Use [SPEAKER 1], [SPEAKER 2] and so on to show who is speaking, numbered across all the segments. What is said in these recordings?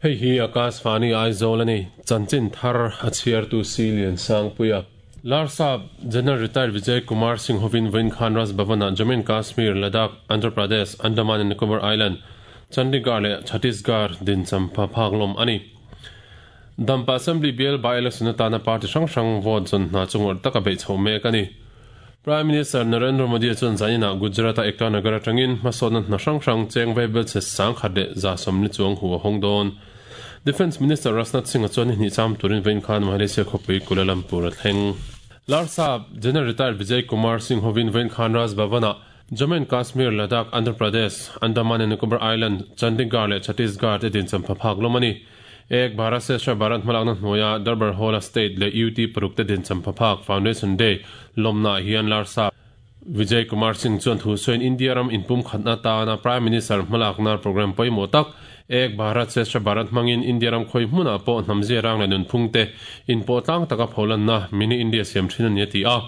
[SPEAKER 1] Hei hi Akashvani Aizawl a ni. Chanchin thar a chhiartu Si Liansangpuia. Larsap General Retired Vijay Kumar Singh hovin vawiin khan Raj Bhavan-ah Jammu and Kashmir, Ladakh, Andhra Pradesh, Andaman and Nicobar Island, Chandigarh leh Chhattisgarh din champha phak lawm a ni. Dampa Assembly bial by-election atana party hrang hrang vote zawn hna chu ngawrh taka beih chhoh mek a ni. Prime Minister Narendra Modi chuan zaninah Gujarat-a Ekta Nagar atangin hmasawnna hna hrang hrang cheng vaibel chhe 10,000 leh 140 chuang hu a hawng dawn. Defence Minister Rajnath Singh-a chuan ni hnih cham turin vawiin khan Malaysia khawpui Kuala Lumpur a thleng. Larsap General Retired Vijay Kumar Singh hovin vawiin khan Raj Bhavan-ah Jammu and Kashmir, Ladakh, Andhra Pradesh, Andaman and Nicobar Island, Chandigarh leh Chhattisgarh te din champha phak lawm a ni. Ek Bharat Shreshtha Bharat hmalakna hnuaia Darbar Hall-a State leh UT paruk te din champha phak Foundation Day lawmnaah hian Larsap Vijay Kumar Singh chuan thu sawiin India ram inpum khatna atana Prime Minister hmalakna programme pawimawh tak Ek Bharat Shreshtha Bharat hmangin India ram khawi hmunah pawh hnamzia rang leh nunphung te inpawh tlang taka pholanna Mini India siam thin a ni a ti a.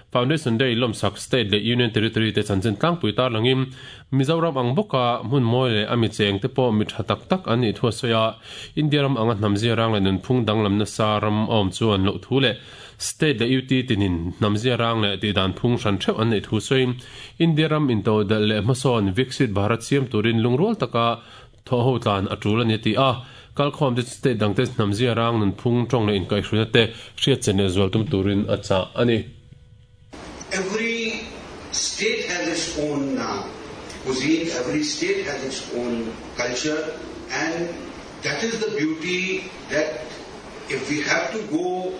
[SPEAKER 1] Foundation Day lawmsak State leh Union Territory te chanchin tlangpui tarlangin Mizoram ang bawka hmun mawi leh a mi cheng te pawh mi tha tak tak an nih thu a sawi a, India ram anga hnamzia rang leh nunphung danglam nasa ram a awm chuan loh thu leh State leh UT tinin hnamzia rang leh tihdan phung hran theuh an neih thu sawiin India ram intodelh leh hmasawn Viksit Bharat siam turin lungrual taka thawh ho tlan a tul a ni a ti a, kalkhawm te state dangte hnamzia rang nunphung tawng leh inkaihhruina te hriat chen leh zual tum turin a chah a ni.
[SPEAKER 2] Every state has its own cuisine, every state has its own culture and that is the beauty that if we have to go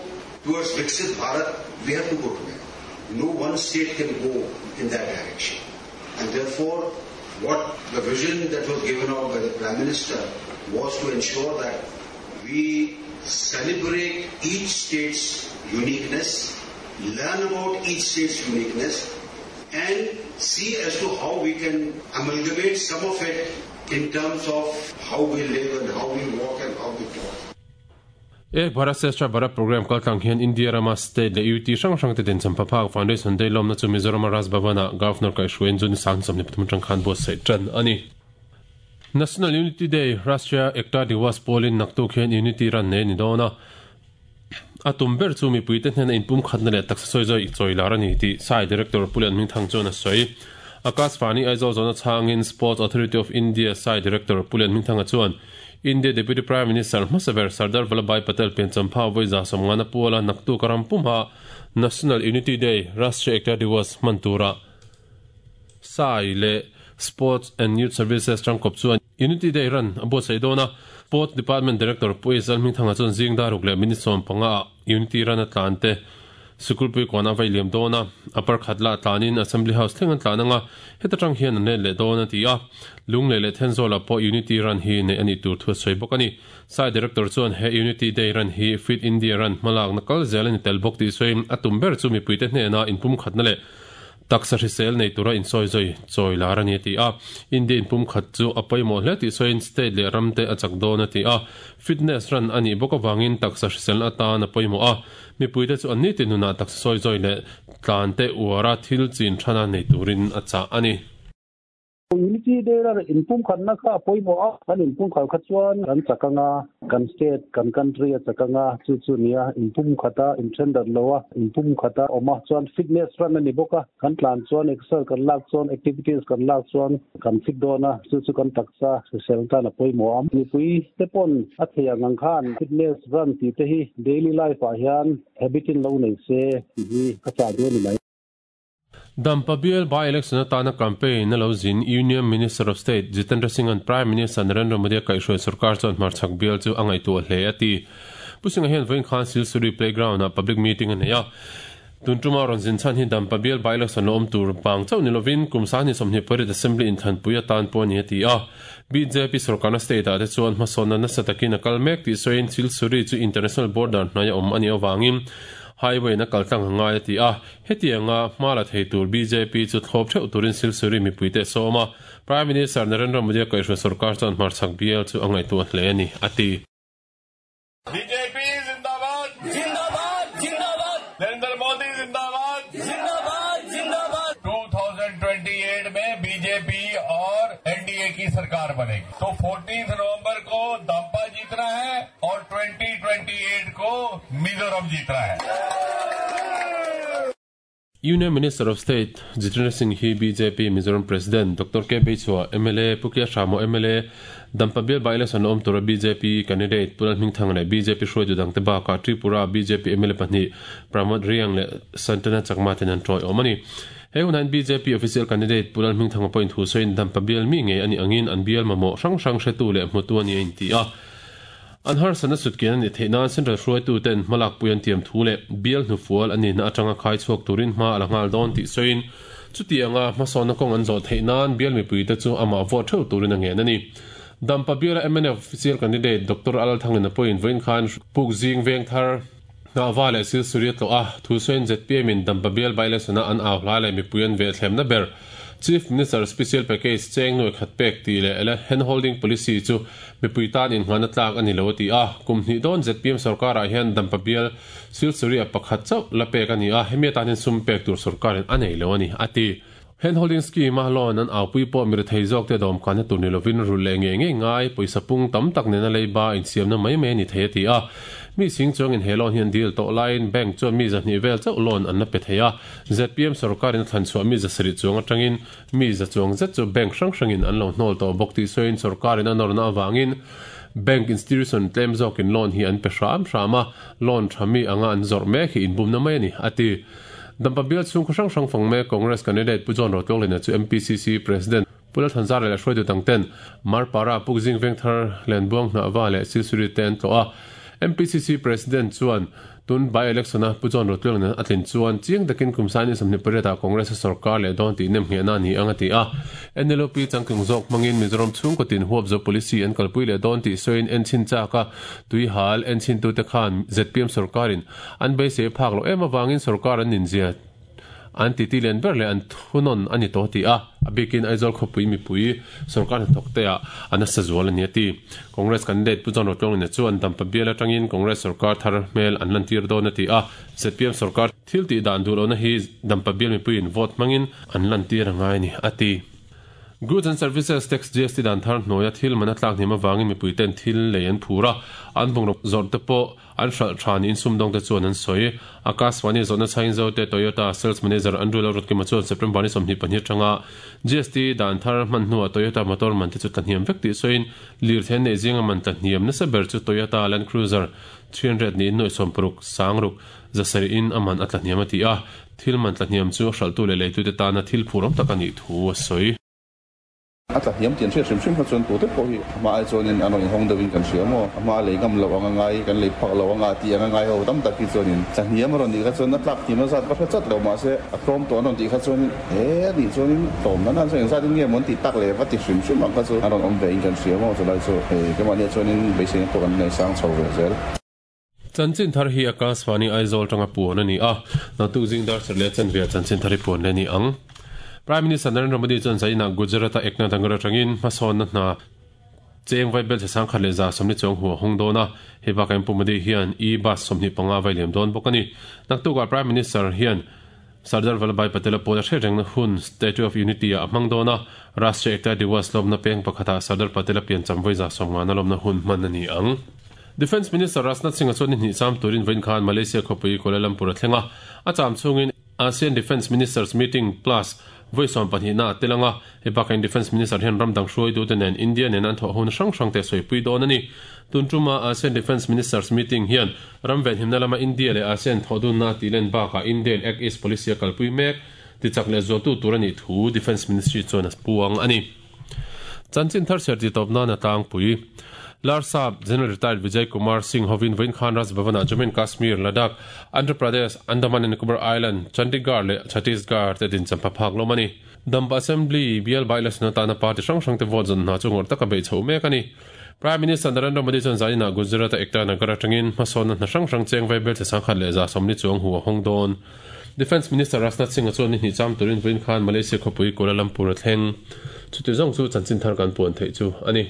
[SPEAKER 2] towards Viksit Bharat, we have to go together. No one state can go in that direction. And therefore, what the vision that was given out by the Prime Minister was to ensure that we celebrate each state's uniqueness, learn about each state's uniqueness, and see as to how we can amalgamate some of it in terms of how we live and how we walk and how we talk.
[SPEAKER 1] Ek Bharat Shreshtha Bharat Programme kaltlang hian India rama State leh UT hrang hrang te din champha phak Foundation Day lawmna chu Mizorama Raj Bhavan-ah Governor kaihhruaiin June 23 atang khan buatsaih tan a ni. National Unity Day, Rashtriya Ekta Diwas pawlin naktuk hian Unity Run nei a ni dawn a. A tum ber chu mipuite hnena inpumkhatna leh taksa sawi zawi chawi lar a ni tih Sai Director Pu Lian Hmingthang chuan a sawi. Akashvani Aizawl zawhna chhangin Sports Authority of India Sai Director Pu Lian Hmingthanga chuan India Deputy Prime Minister hmasa ber Sardar Vallabhbhai Patel pianchampha vawi 150 puala naktuk a ram pumha National Unity Day, Rashtriya Ekta Diwas hman tura Sai leh Sports and Youth Services tangkawp chuan Unity Day ran a buatsaih dawn a. Sports Department Director Pu Ezal Hmingthanga chuan zing dar ruk leh minute 15 ah Unity ran a tlan te Sikulpui kawn a vai liam dawn a, a parkhat lah tlanin Assembly House thleng an tlan ang a, heta tang hian an let leh dawn a ti a. Lunglei leh Thenzawl-ah pawh Unity Run hi neih a nih tur thu a sawi bawk a ni. Sai Director chuan he Unity Day Run hi Fit India Run hmalakna kal zel a ni tel bawk tih sawiin a tum ber chu mipuite hnena inpumkhatna leh taksa hrisel nei tura insawi zawi chawi lar a ni a ti a. India inpumkhat chu a pawimawh hle tih sawiin state leh ramte a chak dawn a ti a. Fitness Run a nih bawk avangin taksa hriselna atan a pawimawh a. Mipuite chu an nitin nunah taksa sawi zawi leh tlante uara thil chin thana nei turin a chah a ni.
[SPEAKER 3] Unity Day a inpumkhatna kha a pawimawh a, kan inpumkhat kha chuan kan chak ang a, kan state, kan country a chak ang a, chu chu nia inpumkhat a, inthendarh lo a, inpumkhat a awm a, chuan fitness run a ni bawk a, kan tlan chuan exercise kan lak chuan activities kan lak chuan kan fit dawn a, chu chu kan taksa hrisel tan a pawimawh a. Mipui te pawn a thei ang ang khan fitness run tih te hi daily life ah hian habit in lo nei se tih hi ka chah duh a ni mai.
[SPEAKER 1] Dampa bial by-election atana campaign a lo zin Union Minister of State Jitendra Singh-a'n Prime Minister Narendra Modi-a kaihhruai sorkar chuan hmarchhak bial chu a ngaihtuah hle a ti. Pu Singh-a hian vawiin khan Silsuri Playground-ah public meeting a nei a. Tun tuma rawn zin chhan hi Dampa bial by-election lo awm tur vang chauh ni lovin kum 2028 Assembly inthlanpui atan pawh a ni a ti a. Bjp sorkarna state-ah te chuan hmasawnna nasa takin a kal mek tih sawiin Silsuri chu international border hnaia awm a nih avangin highway in a kal tlang a ngai a ti a. Hetianga hma la thei tur bjp chu thlawp theuh turin Silsuri mipuite a sawm a, Prime Minister Narendra Modi-a kaihhruai sorkar chuan hmarchhak bial chu a ngaihtuah hle a ni, a ti.
[SPEAKER 4] Bjp Zindabad! Zindabad! Zindabad! Narendra Modi Zindabad! Zindabad! Zindabad! 2028 mein BJP aur NDA ki sarkar banegi. To 14 November ko Dampa ji Mizoram जीतना है।
[SPEAKER 1] Union Minister of State Jitendra Singh hi bjp Mizoram President Doctor K Beichhua, mla Pu Kia Hramo, mla Dampa bial by-election awm tura bjp candidate Pu Lalhmingthanga leh bjp hruaitu dangte bakah Tripura bjp mla pahnih Pramod Riang leh Santana Chakma ten an tawiawm a ni. He hunah hian bjp official candidate Pu Lalhmingthanga pawhin thu sawiin Dampa bial mi ngei a nih angin an bial mamawh hrang hrang hretu leh hmutu a ni a inti a. An harsatna sutkian a nih theih nan Central hruaituten hmalakpui an tiam thu leh bial hnufual a nihna atanga khai chhuak turin hma a la nghal dawn tih sawiin chuti anga hmasawnna kawng an zawh theih nan bial mipuite chu amah vote theuh turin a ngen a ni. Dampa biala mnf official candidate Doctor Alalthanglina pawhin vawiin khan Pukzing Vengthar Hnahva leh Silsuri a tlawh a, thu sawiin zpm in Dampa bial by-election-a an au hla leh mipui an vehthlemna ber Chief Minister Special Package cheng nuai khat pek tih leh ele hand-holding policy chu mipui tan inngahna tlak a ni lo a ti a. Kum hnih dawn zpm sorkarah hian Dampa bial Silsuri-a pakhat chauh la pek a ni a, hemi atan hian sum pek tur sorkarin a nei lo a ni, a ti. Hand-holding scheme-a loan an aupui pawh mirethei zawkte dawmkanna tur ni lovin rulh leh ngei ngei ngai pawisa pung tam tak nena leiba insiamna mai mai a ni thei a ti a. Mi sing chuangin he loan hi an deal tawh laiin bank chuan mi zahnih vel chauh loan an la pe thei a. Zpm sorkarin a thlan chhuah mi za sarih chuang atangin mi za chuang zet chu bank hrang hrangin an lo hnawl tawh bawk tih sawiin sorkarin a nawrna avangin bank institution tlem zawkin loan hi an pe hram hram a, loan tha mi anga an zawrh mek hi inbumna mai a ni, a ti. Dampa bial chhungkhaw hrang hrang fang mek Congress candidate Pu John Rotlawklina chu MPCC President Pu Lalthanzara leh hruaitu dangten Marpara Pukzing Vengthar Lenbuang Hnahva leh Silsuri te an tlawh a. MPCC President chuan tun by-election-a Pu John Rotlawklina a tlin chuan chiang takin kum saini 28 ah Congress a sorkar leh dawn tih nemnghehna a ni ang a ti a. NLUP changtlung zawk hmangin Mizoram chhungkaw tin huapzo policy an kalpui leh dawn tih sawiin enchhin chak a, tuihal enchhintute khan zpm sorkarin An beisei phak loh em avangin sorkar an inzia an titi lian ber leh an thunawn a ni tawh tih a, a bikin Aizawl khawpui mipui sorkar hnathawk te ah a nasa zual a ni a ti. Congress candidate Pu John Rotlawngina chuan Dampa bial atangin Congress sorkar thar hmel an lantir dawn a ti a, zpm sorkar thil tih dan duh lohna hi Dampa bial mipuiin vote hmangin an lantir a ngai a ni a ti. Goods and Services Tax, GST, dan thar hnuaia thil man a tlak hniam avangin mipuiten thil lei an phur a, an bungraw zawrh te pawh An hralh tha niin sumdawngte chuan an sawi. Akashvani zawhna chhain Zote Toyota Sales Manager Andrew Lalrutkima chuan September ni 22 atanga GST dan thar hman hnuah Toyota motor man te chu tla hniam vek tih sawiin lirthei an neih zinga man tla hniam nasa ber chu Toyota Land Cruiser 300 niin nuaih sawmparuk sangruk zasarih in a man a tla hniam a ti a, thil man tla hniam chu a hralhtu leh leitute tana thil phur awm tak a nih thu a sawi.
[SPEAKER 5] A tla hniam tih an hriat hrim hrim kha chuan tute pawh hi a hma ai chuanin an rawn inhawng deuhin kan hria maw? A hma a lei ngam loh anga ngai, kan lei phak loh anga tih anga ngai ho tam tak hi chuanin tla hniam a rawn nih kha chuan a tlak hniam a zat va hre chat lo mahse a tlawm tawh an rawn tih kha chuanin he a nih chuanin tlawm nan nan chuan engzat in nge maw an tih tak leh va ti hrim hrim ang kha chu an rawn awm ve in kan hria maw? Chulai chu hei keimahniah chuanin beiseina pawh kan nei sang chho ve zel.
[SPEAKER 1] Chanchin thar hi Akashvani Aizawl tanga puan a ni a, naktuk zing dar serh leh chanve ah chanchin thar hi puan leh a ni ang. Prime Minister Narendra Modi chuan zainah Gujarat-a Eknath Nagar atangin hmasawnna hna cheng vai bel 110 leh 140 chuang hu a hawng dawn a, hei bakah hian Pu Modi hian e-bus 25 vai liam dawn bawk a ni. Naktukah Prime Minister hian Sardar Vallabhbhai Patel-a pawl a hriat rengna hun Statue of Unity-ah a hmang dawn a, Rashtriya Ekta Diwas lawmna peng pakhatah Sardar Patel-a piancham vawi 150 lawmna hun hman a ni ang. Defence Minister Rajnath Singh-a chuan ni hnih cham turin vawiin khan Malaysia khawpui Kuala Lumpur a thleng a, a cham chhungin ASEAN Defence Ministers Meeting Plus vawi 12 a tel ang a, hei bakah Defence Minister hian ram dang hruaitute nen India nena an thawh hona hrang hrangte a sawipui dawn a ni. Tun tuma ASEAN Defence Ministers Meeting hian ram venhimna lama India leh ASEAN thawhdunna a tihlen bakah Indian Act East Policy a kalpui mek tichak leh zualtu tur a nih thu Defence Ministry chuan a puang a ni. Chanchin thar chhiar tih tawp nan a tlangpui. Larsap General Retired Vijay Kumar Singh hovin vawiin khan Raj Bhavan-ah Jammu and Kashmir, Ladakh, Andhra Pradesh, Andaman and Nicobar Island, Chandigarh leh Chhattisgarh te dincham pha phak lawm a ni. Dampa Assembly bial by-election atana party hrang hrangte vote zawn hna chu ngawrh taka beih chhoh mek a ni. Prime Minister Narendra Modi chuan zaninah Gujarat-a Ekta Nagar atangin hmasawnna hna hrang hrang cheng vai belchhe 140 chuang hu a hawng dawn. Defence Minister Rajnath Singh-a chuan ni hnih cham turin vawiin khan Malaysia khawpui Kuala Lumpur a thleng. Chuti zawng chu chanchin thar kan puan theih chu a ni.